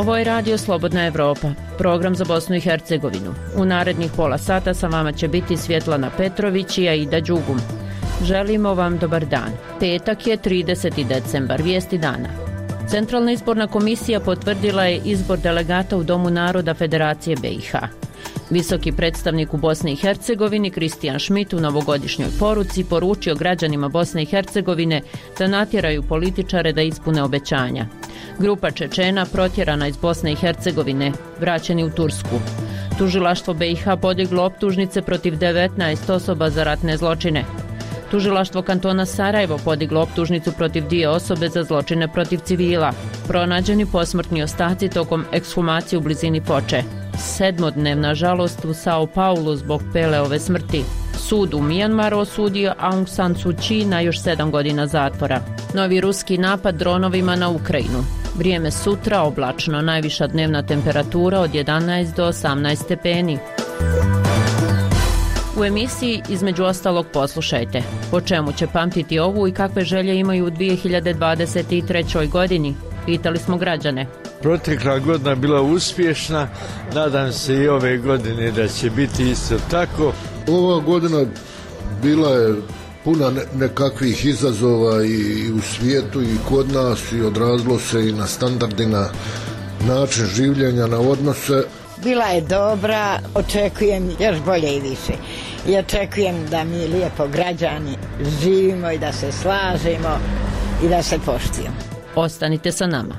Ovo je Radio Slobodna Evropa, program za Bosnu i Hercegovinu. U narednih pola sata sa vama će biti Svjetlana Petrović i Aida Đugum. Želimo vam dobar dan. Petak je 30. decembar, vijesti dana. Centralna izborna komisija potvrdila je izbor delegata u Domu naroda Federacije BiH. Visoki predstavnik u Bosni i Hercegovini Kristijan Šmit u novogodišnjoj poruci poručio građanima Bosne i Hercegovine da natjeraju političare da ispune obećanja. Grupa Čečena protjerana iz Bosne i Hercegovine, vraćeni u Tursku. Tužilaštvo BiH podiglo optužnice protiv 19 osoba za ratne zločine. Tužilaštvo kantona Sarajevo podiglo optužnicu protiv 2 osobe za zločine protiv civila. Pronađeni posmrtni ostaci tokom ekshumacije u blizini Foče. 7-dnevna žalost u Sao Paulu zbog Peleove smrti. Sud u Mijanmaru osudio Aung San Suu Kyi na još 7 godina zatvora. Novi ruski napad dronovima na Ukrajinu. Vrijeme sutra oblačno, najviša dnevna temperatura od 11 do 18 stepeni. U emisiji između ostalog poslušajte po čemu će pamtiti ovu i kakve želje imaju u 2023. godini. Pitali smo građane. Protekla godina bila uspješna, nadam se i ove godine da će biti isto tako. Ova godina bila je puna nekakvih izazova i u svijetu i kod nas i odrazilo se i na standardi, na način življenja, na odnose. Bila je dobra, očekujem još bolje i više. I očekujem da mi lijepo građani živimo i da se slažemo i da se poštujemo. Ostanite sa nama.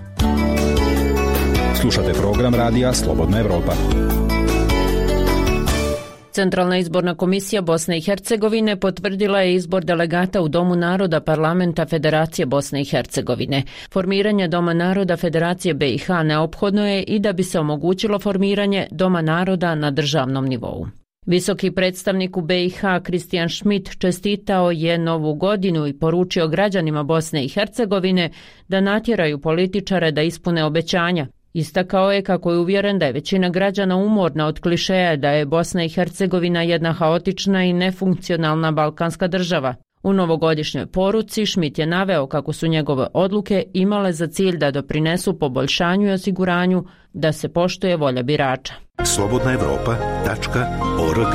Slušate program Radija Slobodna Evropa. Centralna izborna komisija Bosne i Hercegovine potvrdila je izbor delegata u Domu naroda Parlamenta Federacije Bosne i Hercegovine. Formiranje Doma naroda Federacije BiH neophodno je i da bi se omogućilo formiranje Doma naroda na državnom nivou. Visoki predstavnik u BiH Kristijan Šmit čestitao je Novu godinu i poručio građanima Bosne i Hercegovine da natjeraju političare da ispune obećanja. Istakao je kako je uvjeren da je većina građana umorna od klišeja da je Bosna i Hercegovina jedna haotična i nefunkcionalna balkanska država. U novogodišnjoj poruci Šmit je naveo kako su njegove odluke imale za cilj da doprinesu poboljšanju i osiguranju da se poštuje volja birača. slobodnaevropa.org.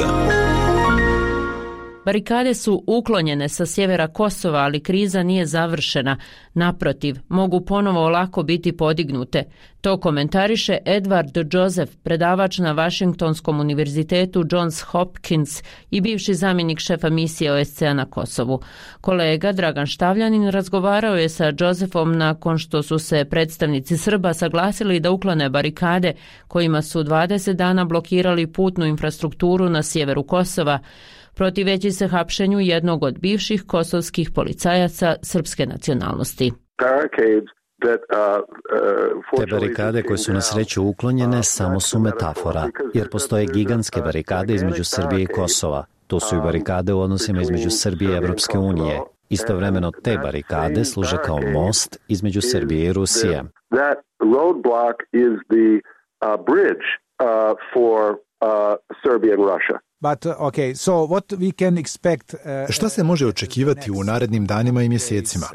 Barikade su uklonjene sa sjevera Kosova, ali kriza nije završena. Naprotiv, mogu ponovo lako biti podignute. To komentariše Edward Joseph, predavač na Washingtonskom univerzitetu Johns Hopkins i bivši zamjenik šefa misije OSCE na Kosovu. Kolega Dragan Štavljanin razgovarao je sa Josephom nakon što su se predstavnici Srba saglasili da uklone barikade kojima su 20 dana blokirali putnu infrastrukturu na sjeveru Kosova, protiveći se hapšenju jednog od bivših kosovskih policajaca srpske nacionalnosti. Te barikade koje su na sreću uklonjene samo su metafora, jer postoje gigantske barikade između Srbije i Kosova. To su i barikade u odnosima između Srbije i Evropske unije. Istovremeno te barikade služe kao most između Srbije i Rusije. Šta se može očekivati u narednim danima i mjesecima?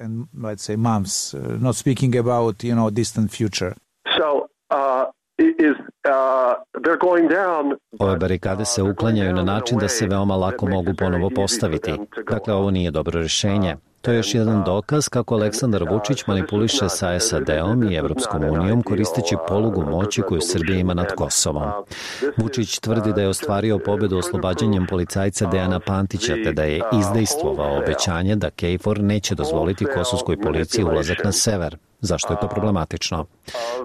Ove barikade se uklanjaju na način da se veoma lako mogu ponovo postaviti. Dakle, ovo nije dobro rješenje. To je još jedan dokaz kako Aleksandar Vučić manipuliše sa SAD-om i Evropskom unijom koristeći polugu moći koju Srbija ima nad Kosovom. Vučić tvrdi da je ostvario pobjedu oslobađanjem policajca Dejana Pantića te da je izdejstvovao obećanje da KFOR neće dozvoliti kosovskoj policiji ulazak na sever. Zašto je to problematično?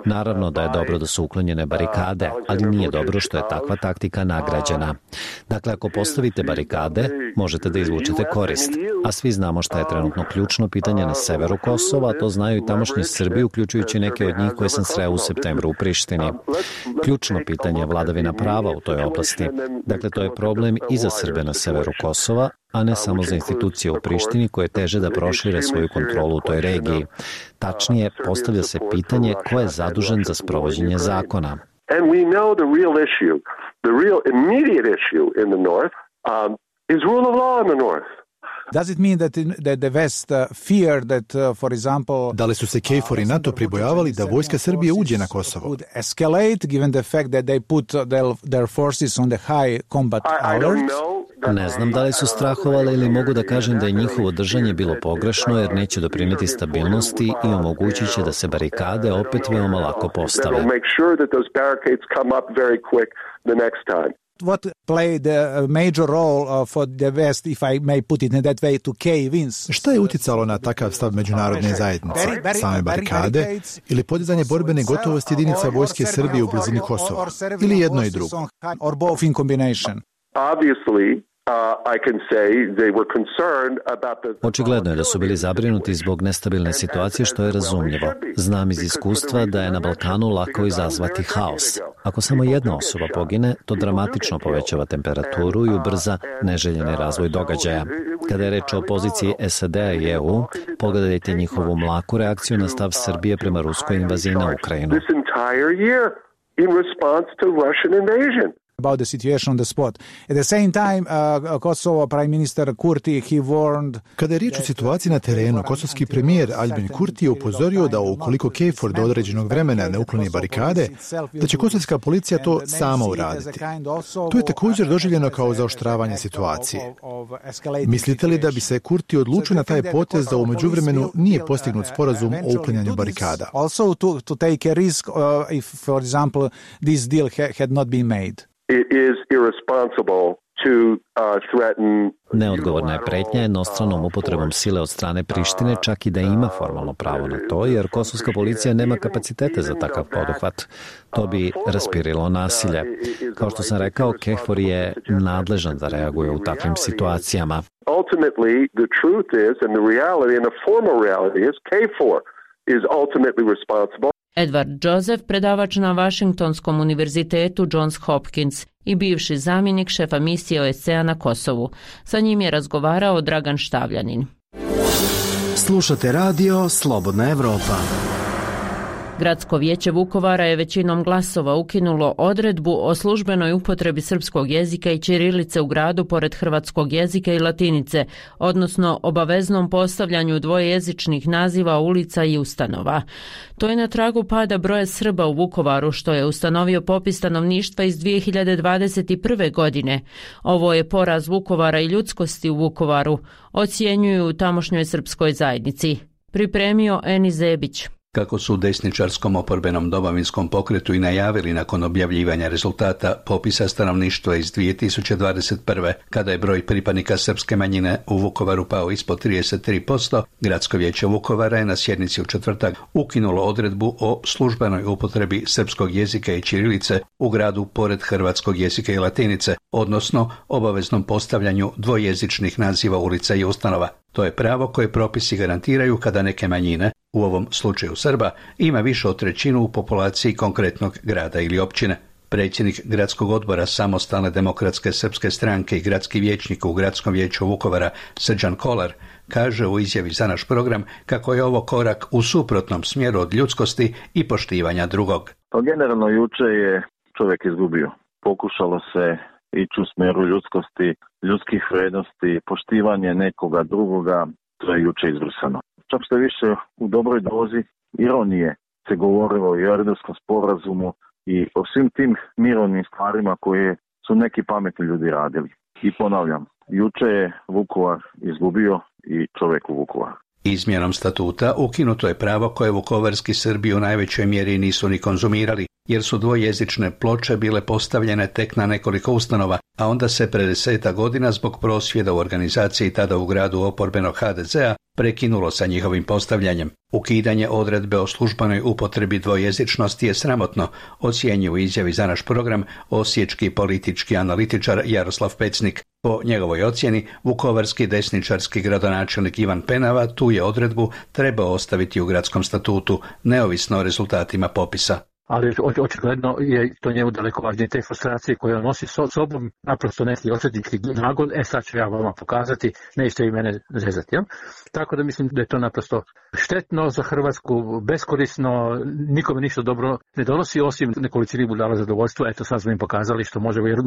Naravno da je dobro da su uklonjene barikade, ali nije dobro što je takva taktika nagrađena. Dakle, ako postavite barikade, možete da izvučete korist. A svi znamo šta je trenutno ključno pitanje na severu Kosova, to znaju i tamošnji Srbi, uključujući neke od njih koje sam sreo u septembru u Prištini. Ključno pitanje je vladavina prava u toj oblasti. Dakle, to je problem i za Srbe na severu Kosova, a ne samo za institucije u Prištini koje teže da prošire svoju kontrolu u toj regiji. Tačnije, postavlja se pitanje ko je zadužen za sprovođenje zakona. Does it mean that the West fear that, for example... Da li su se KFOR i NATO pribojavali da vojska Srbije uđe na Kosovo? ...would escalate given the fact that they put their forces on the high combat alert? Ne znam da li su strahovali ili mogu da kažem da je njihovo držanje bilo pogrešno jer neće doprineti stabilnosti i omogućit će da se barikade opet veoma lako postave. What played a major role for the West, if I may put it in that way, to cave in? Šta je uticalo na takav stav međunarodne zajednice? Same barikade ili podizanje borbene gotovosti jedinica vojske Srbije u blizini Kosova? Ili jedno i drugo? Or both in combination? Očigledno je da su bili zabrinuti zbog nestabilne situacije, što je razumljivo. Znam iz iskustva da je na Balkanu lako izazvati haos. Ako samo jedna osoba pogine, to dramatično povećava temperaturu i ubrza neželjeni razvoj događaja. Kada je reč o poziciji SAD-a i EU, pogledajte njihovu mlaku reakciju na stav Srbije prema ruskoj invaziji na Ukrajinu. About the situation on the spot. At the same time, Kosovo Prime Minister Kurti, he warned... Kada je riječ o situaciji na terenu, kosovski premijer Albin Kurti je upozorio da ukoliko KFOR do određenog vremena ne ukloni barikade, da će kosovska policija to sama uraditi. To je također doživljeno kao zaoštravanje situacije. Mislite li da bi se Kurti odlučio na taj potez da u međuvremenu nije postignut sporazum o uklanjanju barikada? Also to take a risk if, for example, this deal had not been made. It is irresponsible to threaten... Neodgovorna je pretnja jednostranom upotrebom sile od strane Prištine, čak i da ima formalno pravo na to, jer kosovska policija nema kapacitete za takav poduhvat. To bi raspirilo nasilje. Kao što sam rekao, KFOR je nadležan da reaguje u takvim situacijama. Ultimately, the truth is, and the reality, and the formal reality is, KFOR is ultimately responsible. Edward Joseph, predavač na Washingtonskom univerzitetu Johns Hopkins i bivši zamjenik šefa misije OSCE-a na Kosovu. Sa njim je razgovarao Dragan Štavljanin. Slušate radio Slobodna Evropa. Gradsko vijeće Vukovara je većinom glasova ukinulo odredbu o službenoj upotrebi srpskog jezika i ćirilice u gradu pored hrvatskog jezika i latinice, odnosno obaveznom postavljanju dvojezičnih naziva ulica i ustanova. To je na tragu pada broja Srba u Vukovaru, što je ustanovio popis stanovništva iz 2021. godine. Ovo je poraz Vukovara i ljudskosti u Vukovaru, ocjenjuju u tamošnjoj srpskoj zajednici. Pripremio Eni Zebić. Kako su u desničarskom oporbenom domovinskom pokretu i najavili nakon objavljivanja rezultata popisa stanovništva iz 2021. kada je broj pripadnika srpske manjine u Vukovaru pao ispod 33%, Gradsko vijeće Vukovara je na sjednici u četvrtak ukinulo odredbu o službenoj upotrebi srpskog jezika i ćirilice u gradu pored hrvatskog jezika i latinice, odnosno obaveznom postavljanju dvojezičnih naziva ulica i ustanova. To je pravo koje propisi garantiraju kada neke manjine, u ovom slučaju Srba, ima više od trećinu u populaciji konkretnog grada ili općine. Predsjednik gradskog odbora Samostalne demokratske srpske stranke i gradski vijećnik u Gradskom vijeću Vukovara Srđan Kolar kaže u izjavi za naš program kako je ovo korak u suprotnom smjeru od ljudskosti i poštivanja drugog. Pa generalno juče je čovjek izgubio. Pokušalo se ići u smjeru ljudskosti, ljudskih vrijednosti, poštivanje nekoga drugoga, to je juče izbrisano. Čak što više u dobroj dozi ironije se govorilo i o Erdutskom sporazumu i o svim tim mirovnim stvarima koje su neki pametni ljudi radili. I ponavljam, juče je Vukovar izgubio i čovjek u Vukovaru. Izmjenom statuta ukinuto je pravo koje vukovarski Srbi u najvećoj mjeri nisu ni konzumirali, jer su dvojezične ploče bile postavljene tek na nekoliko ustanova, a onda se pred 10 godina zbog prosvjeda u organizaciji tada u gradu oporbenog HDZ-a prekinulo sa njihovim postavljanjem. Ukidanje odredbe o službenoj upotrebi dvojezičnosti je sramotno, ocjenjuje u izjavi za naš program osječki politički analitičar Jaroslav Pecnik. Po njegovoj ocjeni, vukovarski desničarski gradonačelnik Ivan Penava tu je odredbu trebao ostaviti u gradskom statutu, neovisno o rezultatima popisa. Ali očigledno je to njemu daleko važnije, te frustracije koje on nosi sobom, naprosto neki osvetnički nagon, sad ću ja vama pokazati, nećete i mene zezati. Ja? Tako da mislim da je to naprosto štetno za Hrvatsku, beskorisno, nikome ništa dobro ne donosi, osim nekolicini budala zadovoljstva. Eto, sad smo im pokazali što možemo, jer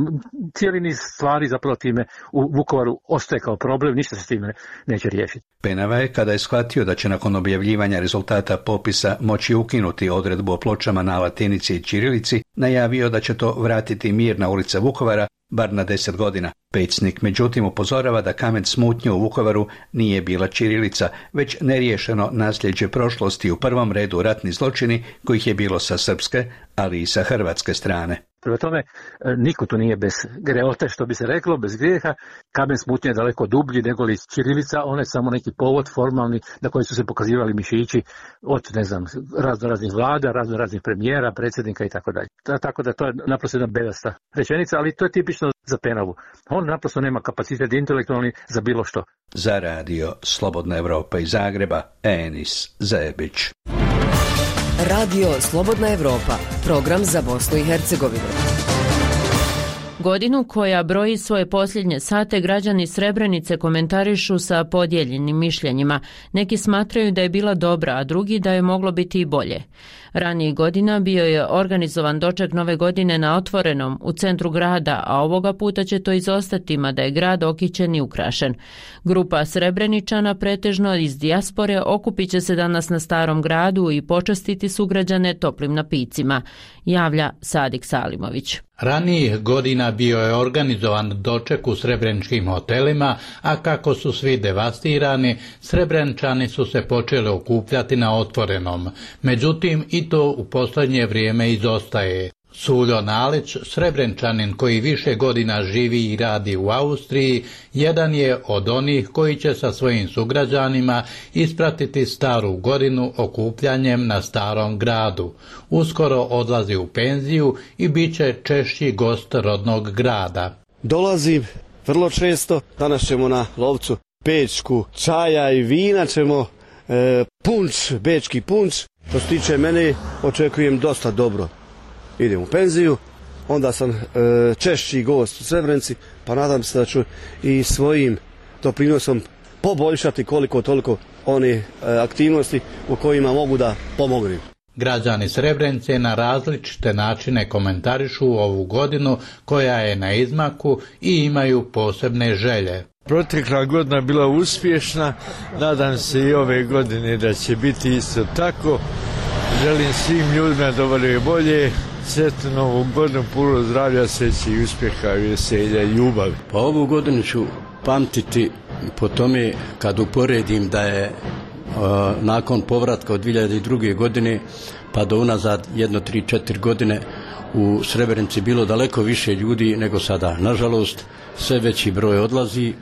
cijeli niz stvari zapravo time u Vukovaru ostaje kao problem, ništa se s time neće riješiti. Penava je, kada je shvatio da će nakon objavljivanja rezultata popisa moći ukinuti odredbu o pločama na latinici i ćirilici, najavio da će to vratiti mir na ulice Vukovara, bar na 10 godina. Pecnik međutim upozorava da kamen smutnje u Vukovaru nije bila ćirilica, već neriješeno nasljeđe prošlosti, u prvom redu ratni zločini kojih je bilo sa srpske, ali i sa hrvatske strane. Prema tome, niko tu nije bez greote, što bi se reklo, bez grijeha. Kamen smutnje je daleko dublji nego li ćirilica, on je samo neki povod formalni na koji su se pokazivali mišići od, raznih vlada, raznih premijera, predsjednika i tako dalje. Tako da to je naprosto jedna bedasta rečenica, ali to je tipično za Penavu. On naprosto nema kapacitet intelektualni za bilo što. Za radio Slobodna Evropa iz Zagreba, Enis Zebić. Radio Slobodna Evropa, program za Bosnu i Hercegovinu. Godinu koja broji svoje posljednje sate građani Srebrenice komentarišu sa podijeljenim mišljenjima. Neki smatraju da je bila dobra, a drugi da je moglo biti i bolje. Ranijih godina bio je organizovan doček Nove godine na otvorenom u centru grada, a ovoga puta će to izostati, mada je grad okićen i ukrašen. Grupa Srebreničana, pretežno iz dijaspore, okupit će se danas na Starom gradu i počastiti sugrađane toplim napicima, javlja Sadik Salimović. Ranijih godina bio je organizovan doček u srebreničkim hotelima, a kako su svi devastirani, Srebreničani su se počeli okupljati na otvorenom. Međutim, i to u posljednje vrijeme izostaje. Suljo Nalić, Srebreničanin koji više godina živi i radi u Austriji, jedan je od onih koji će sa svojim sugrađanima ispratiti Staru godinu okupljanjem na Starom gradu. Uskoro odlazi u penziju i bit će češći gost rodnog grada. Dolazim vrlo često, danas ćemo na Lovcu pečku čaja i vina, ćemo punč, bečki punč. Što se tiče mene, očekujem dosta dobro. Idem u penziju, onda sam češći gost u Srebrenici, pa nadam se da ću i svojim doprinosom poboljšati koliko toliko one aktivnosti u kojima mogu da pomognem. Građani Srebrenice na različite načine komentarišu ovu godinu koja je na izmaku i imaju posebne želje. Protekla godina bila uspješna, nadam se i ove godine da će biti isto tako. Želim svim ljudima da vole bolje, sretnu novu godinu, puno zdravlja, sreće i uspjeha, veselja i ljubavi. Pa ovu godinu ću pamtiti po tome kad uporedim da je nakon povratka od 2002. godine pa do unazad 1-3-4 godine u Srebrenici bilo daleko više ljudi nego sada. Nažalost, sve veći broj odlazi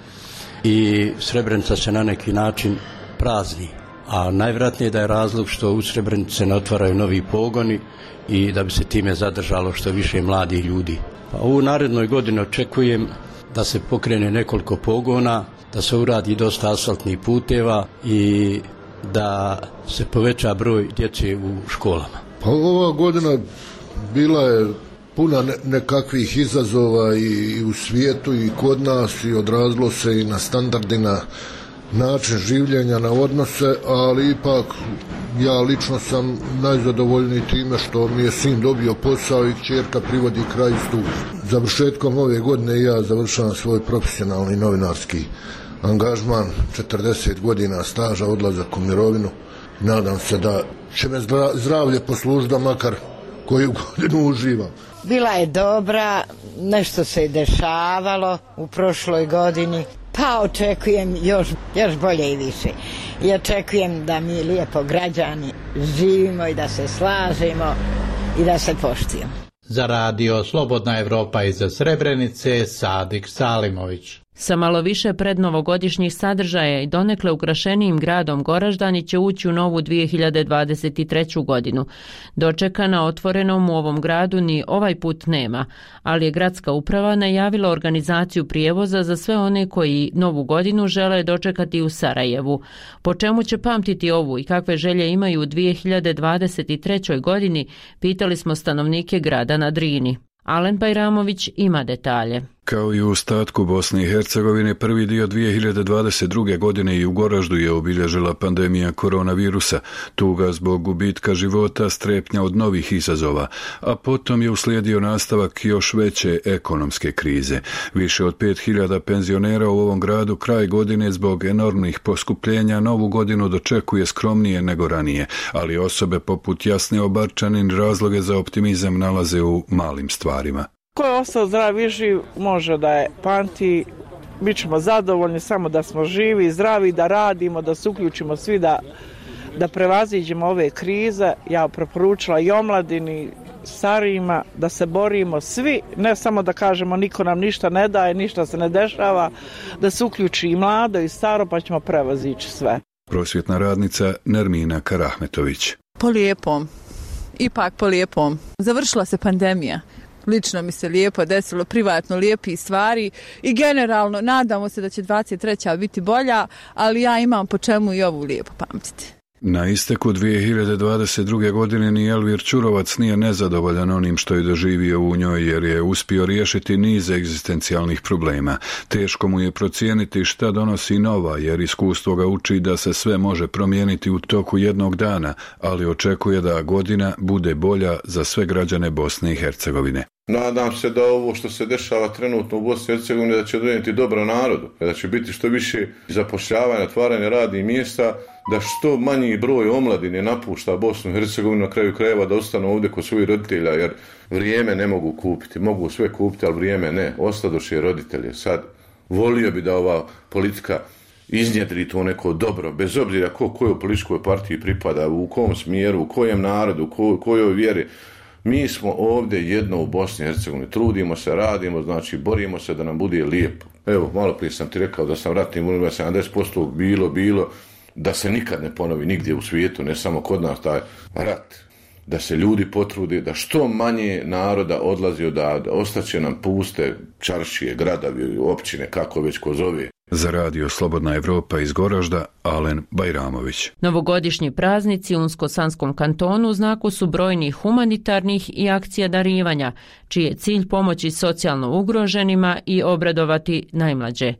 i Srebrenica se na neki način prazni. A najvjerojatnije da je razlog što u Srebrenici se ne otvaraju novi pogoni i da bi se time zadržalo što više mladih ljudi. Pa u narednoj godini očekujem da se pokrene nekoliko pogona, da se uradi dosta asfaltnih puteva i da se poveća broj djece u školama. Pa ova godina bila je puna nekakvih izazova i u svijetu i kod nas i odrazilo se i na standardi, na način življenja, na odnose, ali ipak ja lično sam najzadovoljniji time što mi je sin dobio posao i kćerka privodi kraju studija. Završetkom ove godine ja završavam svoj profesionalni novinarski angažman, 40 godina staža, odlazak u mirovinu. Nadam se da će me zdravlje poslužiti da makar koju godinu uživam. Bila je dobra, nešto se je dešavalo u prošloj godini, pa očekujem još bolje i više. I očekujem da mi lijepo građani živimo i da se slažemo i da se poštujemo. Za radio Slobodna Evropa iz Srebrenice, Sadik Salimović. Sa malo više prednovogodišnjih sadržaja i donekle ukrašenijim gradom Goraždani će ući u novu 2023. godinu. Dočeka na otvorenom u ovom gradu ni ovaj put nema, ali je gradska uprava najavila organizaciju prijevoza za sve one koji novu godinu žele dočekati u Sarajevu. Po čemu će pamtiti ovu i kakve želje imaju u 2023. godini, pitali smo stanovnike grada na Drini. Alen Bajramović ima detalje. Kao i u ostatku Bosne i Hercegovine, prvi dio 2022. godine i u Goraždu je obilježila pandemija koronavirusa, tuga zbog gubitka života, strepnja od novih izazova, a potom je uslijedio nastavak još veće ekonomske krize. Više od 5000 penzionera u ovom gradu kraj godine zbog enormnih poskupljenja novu godinu dočekuje skromnije nego ranije, ali osobe poput Jasne Obarčanin razloge za optimizam nalaze u malim stvarima. Ko je ostao zdrav i živ može da je pamti, bit ćemo zadovoljni samo da smo živi, zdravi, da radimo, da se uključimo svi, da prevaziđemo ove krize. Ja preporučila i omladini, starijima, da se borimo svi, ne samo da kažemo niko nam ništa ne daje, ništa se ne dešava, da se uključi i mlado i staro pa ćemo prevazići sve. Prosvjetna radnica Nermina Karahmetović. Po lijepom, ipak po lijepom. Završila se pandemija. Lično mi se lijepo desilo, privatno lijepi stvari i generalno nadamo se da će 23. biti bolja, ali ja imam po čemu i ovu lijepo pamtiti. Na isteku 2022. godine ni Elvir Ćurovac nije nezadovoljan onim što je doživio u njoj jer je uspio riješiti niz egzistencijalnih problema. Teško mu je procijeniti šta donosi nova jer iskustvo ga uči da se sve može promijeniti u toku jednog dana, ali očekuje da godina bude bolja za sve građane Bosne i Hercegovine. Nadam se da ovo što se dešava trenutno u Bosni i Hercegovini da će donijeti dobro narodu, da će biti što više zapošljavanja, otvaranja radnih mjesta, da što manji broj omladine napušta Bosnu i Hercegovinu, na kraju krajeva da ostanu ovdje kod svojih roditelja, jer vrijeme ne mogu kupiti, mogu sve kupiti, ali vrijeme ne, ostadoše roditelje. Sad, volio bi da ova politika iznjedri to neko dobro, bez obzira kojoj političkoj partiji pripada, u kom smjeru, u kojem narodu, kojoj vjeri. Mi smo ovdje jedno u Bosni i Hercegovini, trudimo se, radimo, znači borimo se da nam bude lijepo. Evo, malo prije sam ti rekao da sam ratnim vojnim 70% bilo, da se nikad ne ponovi nigdje u svijetu, ne samo kod nas taj rat. Da se ljudi potrude, da što manje naroda odlazi odavde, ostaće nam puste čaršije, gradovi, općine, kako već ko zove. Za radio Slobodna Evropa iz Goražda, Alen Bajramović. Novogodišnji praznici u Unsko-Sanskom kantonu u znaku su brojnih humanitarnih i akcija darivanja, čiji je cilj pomoći socijalno ugroženima i obradovati najmlađe.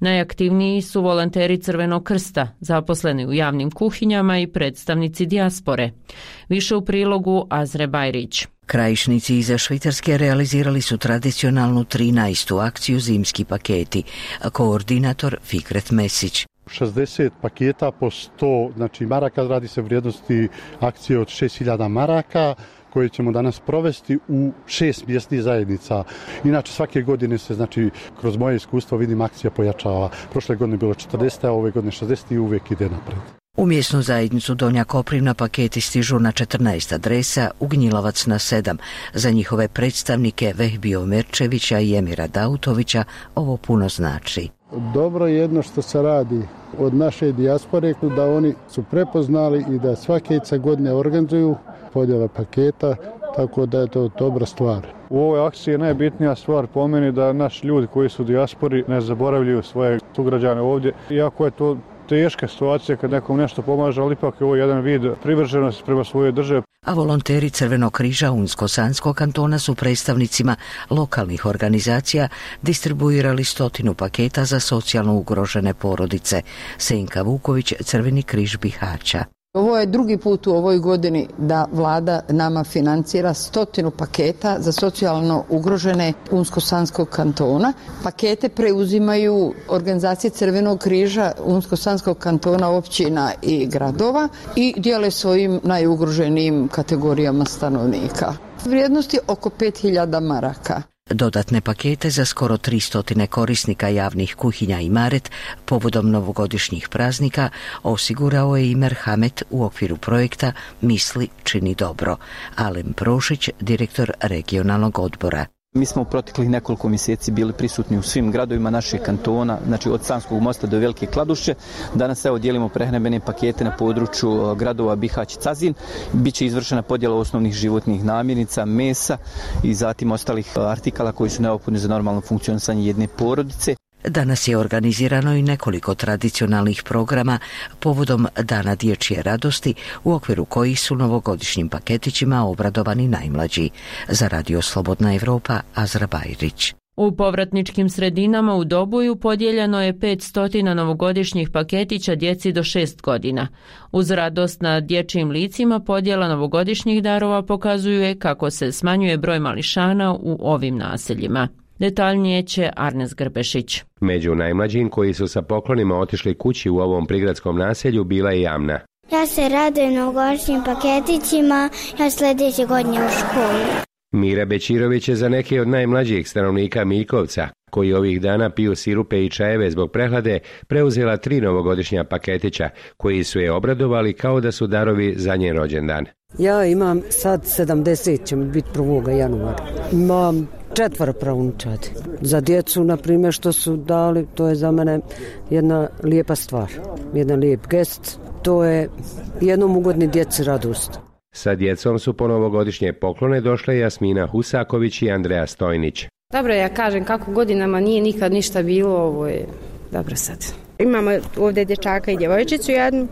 Najaktivniji su volonteri Crvenog krsta, zaposleni u javnim kuhinjama i predstavnici dijaspore. Više u prilogu Azre Bajrić. Krajišnici iza Švicarske realizirali su tradicionalnu 13. akciju Zimski paketi, a koordinator Fikret Mesić. 60 paketa po 100 maraka, radi se vrijednosti akcije od 6000 maraka koje ćemo danas provesti u 6 mjesnih zajednica. Inače svake godine se, kroz moje iskustvo vidim, akcija pojačava. Prošle godine je bilo 40, a ove godine 60 i uvijek ide napred. U mjesnu zajednicu Donja Koprivna paketi stižu na 14 adresa, u Gnjilavac na 7. Za njihove predstavnike Vehbio Merčevića i Emira Dautovića ovo puno znači. Dobro je jedno što se radi od naše dijaspore, da oni su prepoznali i da svake godine organizuju podjele paketa, tako da je to dobra stvar. U ovoj akciji je najbitnija stvar po meni da naši ljudi koji su u dijaspori ne zaboravljaju svoje sugrađane ovdje. Iako je to teška situacija kad nekom nešto pomaže, ali ipak je ovo jedan vid privrženosti prema svojoj državi. A volonteri Crvenog križa Unsko-Sanskog kantona su predstavnicima lokalnih organizacija distribuirali 100 paketa za socijalno ugrožene porodice. Senka Vuković, Crveni križ Bihaća. Ovo je drugi put u ovoj godini da vlada nama financira 100 paketa za socijalno ugrožene Unsko-Sanskog kantona. Pakete preuzimaju organizacije Crvenog križa Unsko-Sanskog kantona, općina i gradova i dijele svojim najugroženijim kategorijama stanovnika. Vrijednosti oko 5000 maraka. Dodatne pakete za skoro 300 korisnika javnih kuhinja i Maret povodom novogodišnjih praznika osigurao je i Merhamet u okviru projekta Misli čini dobro. Alen Prošić, direktor regionalnog odbora. Mi smo u proteklih nekoliko mjeseci bili prisutni u svim gradovima našeg kantona, znači od Sanskog mosta do Velike Kladuše. Danas dijelimo prehrambene pakete na području gradova Bihać i Cazin. Biće izvršena podjela osnovnih životnih namirnica, mesa i zatim ostalih artikala koji su neophodni za normalno funkcionisanje jedne porodice. Danas je organizirano i nekoliko tradicionalnih programa povodom Dana dječje radosti, u okviru kojih su novogodišnjim paketićima obradovani najmlađi. Za radio Slobodna Evropa, Azra Bajrić. U povratničkim sredinama u Doboju podijeljeno je 500 novogodišnjih paketića djeci do 6 godina. Uz radost na dječjim licima podjela novogodišnjih darova pokazuje kako se smanjuje broj mališana u ovim naseljima. Detaljnije će Arnes Grbešić. Među najmlađim koji su sa poklonima otišli kući u ovom prigradskom naselju bila je Jamna. Ja se radujem novogodišnjim paketićima, ja sljedeće godine u školu. Mira Bečirović je za neke od najmlađih stanovnika Miljkovca, koji ovih dana piju sirupe i čajeve zbog prehlade, preuzela 3 novogodišnja paketića, koji su je obradovali kao da su darovi za njen rođendan. Ja imam sad 70, će mi biti 1. januara. Imam 4 pravunčadi. Za djecu, na primjer, što su dali, to je za mene jedna lijepa stvar, jedan lijep gest. To je jednom ugodni djeci radost. Sa djecom su po novogodišnje poklone došle Jasmina Husaković i Andreja Stojnić. Dobro, ja kažem kako godinama nije nikad ništa bilo, ovo je dobro sad. Imamo ovdje dječaka i djevojčicu jednu,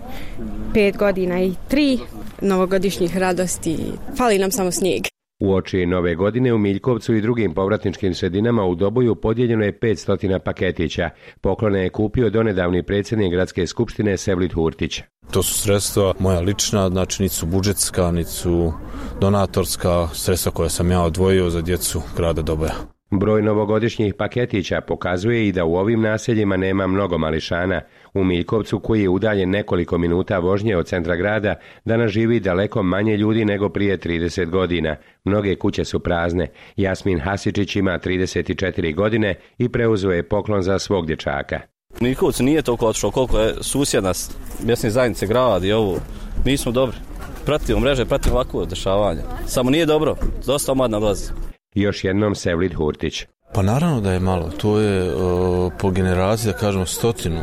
5 godina i 3 novogodišnjih radosti. Fali nam samo snijeg. Uoči nove godine u Miljkovcu i drugim povratničkim sredinama u Doboju podijeljeno je 500 paketića. Poklone je kupio donedavni predsjednik gradske skupštine Sevlit Hurtić. To su sredstva moja lična, znači niti su budžetska, niti su donatorska, sredstva koja sam ja odvojio za djecu grada Doboja. Broj novogodišnjih paketića pokazuje i da u ovim naseljima nema mnogo mališana. U Miljkovcu, koji je udaljen nekoliko minuta vožnje od centra grada, danas živi daleko manje ljudi nego prije 30 godina. Mnoge kuće su prazne. Jasmin Hasičić ima 34 godine i preuzeo je poklon za svog dječaka. U Miljkovcu nije toliko otišlo koliko je susjedna mjesne zajednice gradi ovo. Nismo dobri. Pratimo mreže, pratimo ovakvo dešavanje. Samo nije dobro. Dosta omladna dolazi. Još jednom Sevlit Hurtić. Pa naravno da je malo, to je po generaciji, da kažemo 100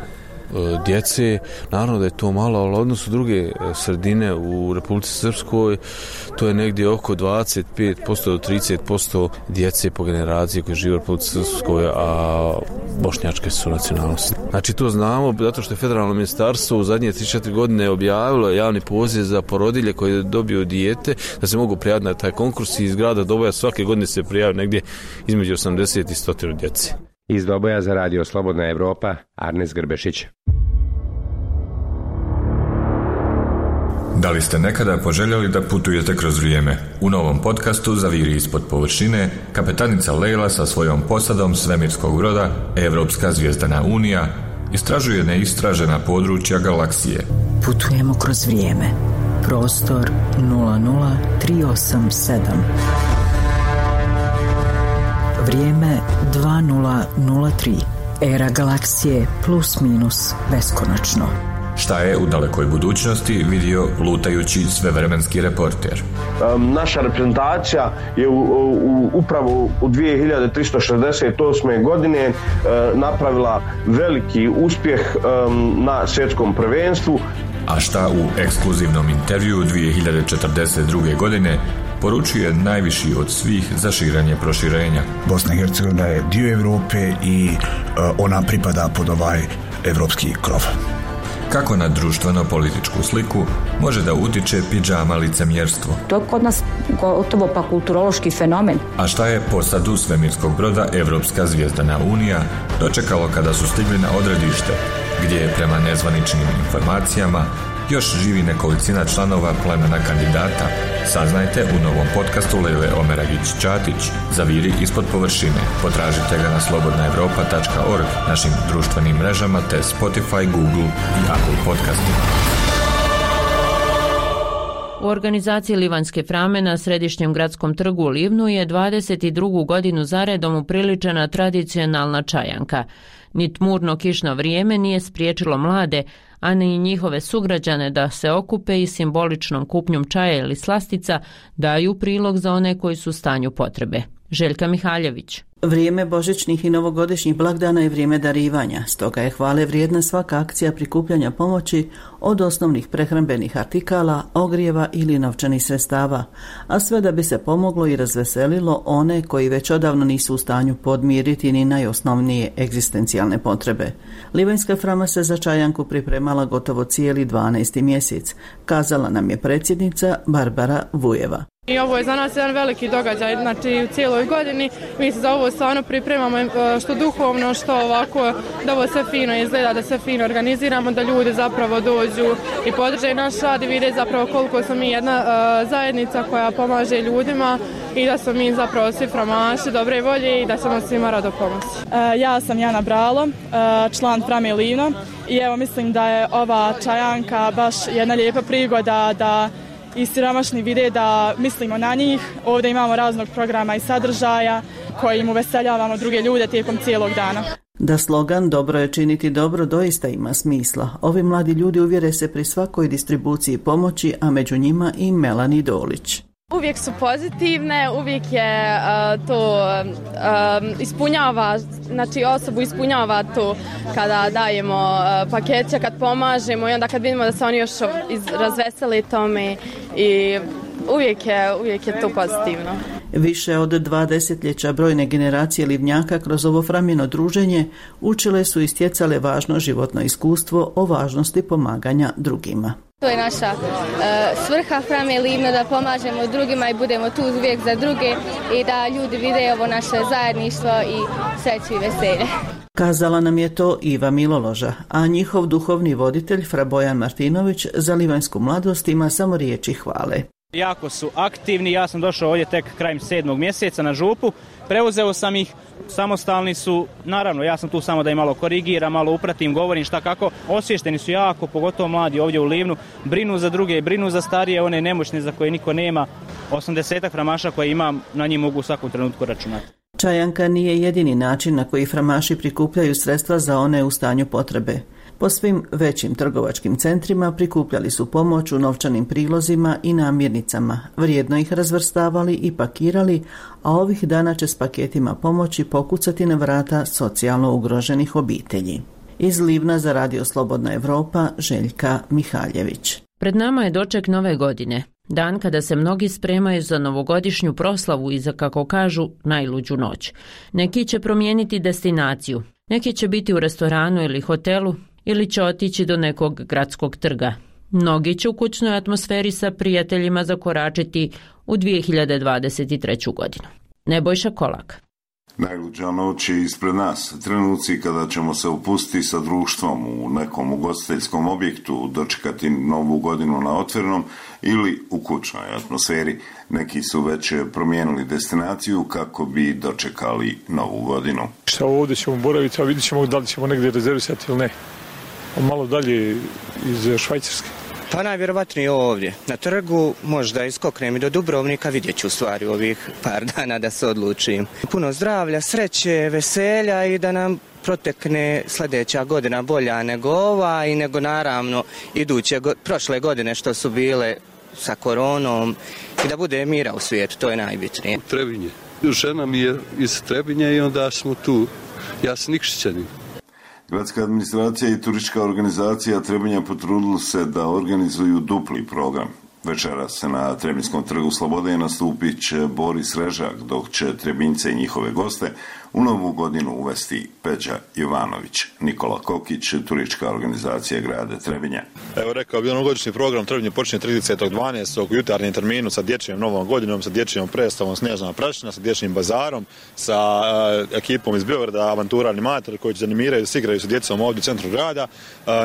djece, naravno da je to malo, ali odnosu druge sredine u Republici Srpskoj, to je negdje oko 25% do 30% djece po generaciji koji žive u Republici Srpskoj, a bošnjačke su nacionalnosti. Znači to znamo, zato što je federalno ministarstvo u zadnje 3-4 godine objavilo javni poziv za porodilje koje dobiju dijete, da se mogu prijaviti na taj konkurs i iz grada Doboja svake godine se prijavi negdje između 80 i 100 djece. Iz Doboja za Radio Slobodna Evropa, Arnes Grbešić. Da li ste nekada poželjeli da putujete kroz vrijeme? U novom podcastu Zaviri ispod površine, kapetanica Lejla sa svojom posadom svemirskog broda Evropska zvijezdana unija istražuje neistražena područja galaksije. Putujemo kroz vrijeme. Prostor 00387. Vrijeme 2003. Era galaksije plus minus beskonačno. Šta je u dalekoj budućnosti vidio lutajući svevremenski reporter? Naša reprezentacija je upravo u 2368. godine napravila veliki uspjeh na svjetskom prvenstvu. A šta u ekskluzivnom intervjuu 2042. godine poručuje najviši od svih za širenje proširenja? Bosna i Hercegovina je dio Europe i ona pripada pod ovaj evropski krov. Kako na društveno-političku sliku može da utiče pidžama licemjerstvo? To je kod nas gotovo pa kulturološki fenomen. A šta je posadu svemirskog broda Evropska zvijezdana unija dočekalo kada su stigli na odredište, gdje je prema nezvaničnim informacijama još živi nekolicina članova plemena kandidata? Saznajte u novom podcastu Lejle Omeragić-Čatić Zaviri ispod površine. Potražite ga na slobodnaevropa.org, našim društvenim mrežama te Spotify, Google i Apple podcastima. U organizaciji Livanjske frame na središnjem gradskom trgu u Livnu je 22. godinu zaredom upriličena tradicionalna čajanka. Ni tmurno kišno vrijeme nije spriječilo mlade, a ni njihove sugrađane da se okupe i simboličnom kupnjom čaja ili slastica daju prilog za one koji su u stanju potrebe. Željka Mihaljević. Vrijeme božićnih i novogodišnjih blagdana je vrijeme darivanja, stoga je hvale vrijedna svaka akcija prikupljanja pomoći od osnovnih prehrambenih artikala, ogrijeva ili novčanih sredstava, a sve da bi se pomoglo i razveselilo one koji već odavno nisu u stanju podmiriti ni najosnovnije egzistencijalne potrebe. Livanjska frama se za čajanku pripremala gotovo cijeli 12. mjesec, kazala nam je predsjednica Barbara Vujeva. I ovo je za nas jedan veliki događaj, znači u cijeloj godini mi se za ovo stvarno pripremamo što duhovno, što ovako, da ovo sve fino izgleda, da sve fino organiziramo, da ljudi zapravo dođu i podrže naš rad i vide zapravo koliko smo mi jedna zajednica koja pomaže ljudima i da smo mi zapravo svi framaši dobre volje i da ćemo svima rado pomoći. Ja sam Jana Bralo, član Frame Livno i evo mislim da je ova čajanka baš jedna lijepa prigoda da i siromašni vide da mislimo na njih. Ovdje imamo raznog programa i sadržaja kojim uveseljavamo druge ljude tijekom cijelog dana. Da slogan "Dobro je činiti dobro" doista ima smisla. Ovi mladi ljudi uvjere se pri svakoj distribuciji pomoći, a među njima i Melani Dolić. Uvijek su pozitivne, uvijek je to ispunjava, znači osobu ispunjava to kada dajemo pakete, kad pomažemo i onda kad vidimo da se oni još razveseli tome i uvijek je to pozitivno. Više od 2 desetljeća brojne generacije Livnjaka kroz ovo Framino druženje učile su i stjecale važno životno iskustvo o važnosti pomaganja drugima. To je naša svrha Frame Livno, da pomažemo drugima i budemo tu uvijek za druge i da ljudi vide ovo naše zajedništvo i sreću i veselje. Kazala nam je to Iva Miloloža, a njihov duhovni voditelj Fra Bojan Martinović za livanjsku mladost ima samo riječi hvale. Jako su aktivni, ja sam došao ovdje tek krajem 7. mjeseca na župu, preuzeo sam ih, samostalni su, naravno ja sam tu samo da im malo korigiram, malo upratim, govorim šta kako, osviješteni su jako, pogotovo mladi ovdje u Livnu, brinu za druge, brinu za starije, one nemoćne za koje niko nema, 80 framaša koje imam, na njih mogu u svakom trenutku računati. Čajanka nije jedini način na koji framaši prikupljaju sredstva za one u stanju potrebe. Po svim većim trgovačkim centrima prikupljali su pomoć u novčanim prilozima i namirnicama, vrijedno ih razvrstavali i pakirali, a ovih dana će s paketima pomoći pokucati na vrata socijalno ugroženih obitelji. Iz Livna za Radio Slobodna Evropa, Željka Mihaljević. Pred nama je doček nove godine, dan kada se mnogi spremaju za novogodišnju proslavu i za, kako kažu, najluđu noć. Neki će promijeniti destinaciju, neki će biti u restoranu ili hotelu, ili će otići do nekog gradskog trga. Mnogi će u kućnoj atmosferi sa prijateljima zakoračiti u 2023. godinu. Nebojša Kolak. Najluđa noć je ispred nas, trenuci kada ćemo se upustiti sa društvom u nekom ugostiteljskom objektu, dočekati novu godinu na otvorenom ili u kućnoj atmosferi. Neki su već promijenili destinaciju kako bi dočekali novu godinu. Šta ovdje ćemo boraviti, a vidjet ćemo da li ćemo negdje rezervisati ili ne. Malo dalje iz Švajcarske. Pa najvjerovatnije ovdje. Na trgu možda iskoknem i do Dubrovnika, vidjet ću u stvari ovih par dana da se odlučim. Puno zdravlja, sreće, veselja i da nam protekne sljedeća godina bolja nego ova i nego naravno prošle godine što su bile sa koronom i da bude mira u svijetu, to je najbitnije. Trebinje. Žena mi je iz Trebinja i onda smo tu. Ja sam Nikšićanin. Gradska administracija i turistička organizacija Trebinja potrudili se da organizuju dupli program. Večeras se na Trebinjskom trgu Slobode nastupit će Boris Režak, dok će Trebinjce i njihove goste u novu godinu uvesti Peđa Jovanović. Nikola Kokić, turistička organizacija grada Trebinja. Evo rekao bi, novogodišnji program Trebinje počinje 30.12. u jutarnjem terminu sa dječjom novom godinom, sa dječjom predstavom Snježna prašina, sa dječjim bazarom, sa ekipom iz Beograda, Avantura animatori koji će animiraju, se igraju sa djecom ovdje u centru grada.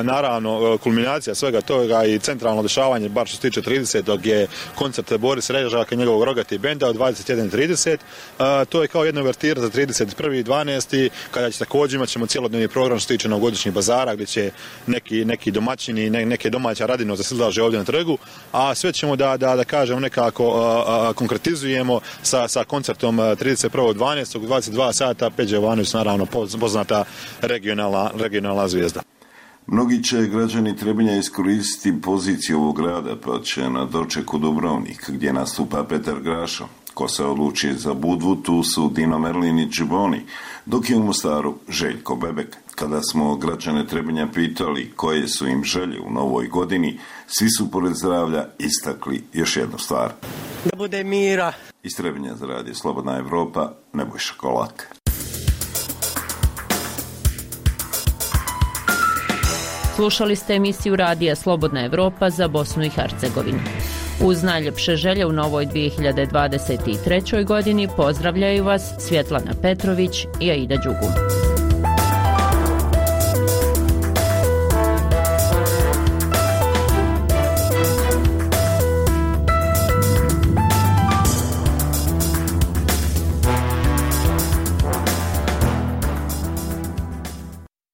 Naravno, kulminacija svega toga i centralno dešavanje, bar što se tiče 30. je koncert Boris Režaka i njegovog Rogati benda od 21.30. To je kao jedna uvertira za 31.12. kada će također imat ćemo cijelodnevni program što se tiče novogodišnjih bazara gdje će neki domaćini, neke domaća radino da se izlaže ovdje na trgu, a sve ćemo da kažemo nekako konkretizujemo sa koncertom 31.12. u 22 sata. Peđa Jovanović, naravno poznata regionalna zvijezda. Mnogi će građani Trebinja iskoristiti poziciju ovog grada, pa će na dočeku Dubrovnik, gdje nastupa Petar Grašo. Ko se odluči za Budvu, tu su Dino Merlin i Džiboni, dok je u Mostaru Željko Bebek. Kada smo građane Trebinja pitali koje su im želje u novoj godini, svi su pored zdravlja istakli još jednu stvar. Da bude mira. Iz Trebinja za Radio Slobodna Evropa, Nebojša Kolak. Slušali ste emisiju Radija Slobodna Evropa za Bosnu i Hercegovinu. Uz najljepše želje u novoj 2023. godini pozdravljaju vas Svjetlana Petrović i Aida Đugum.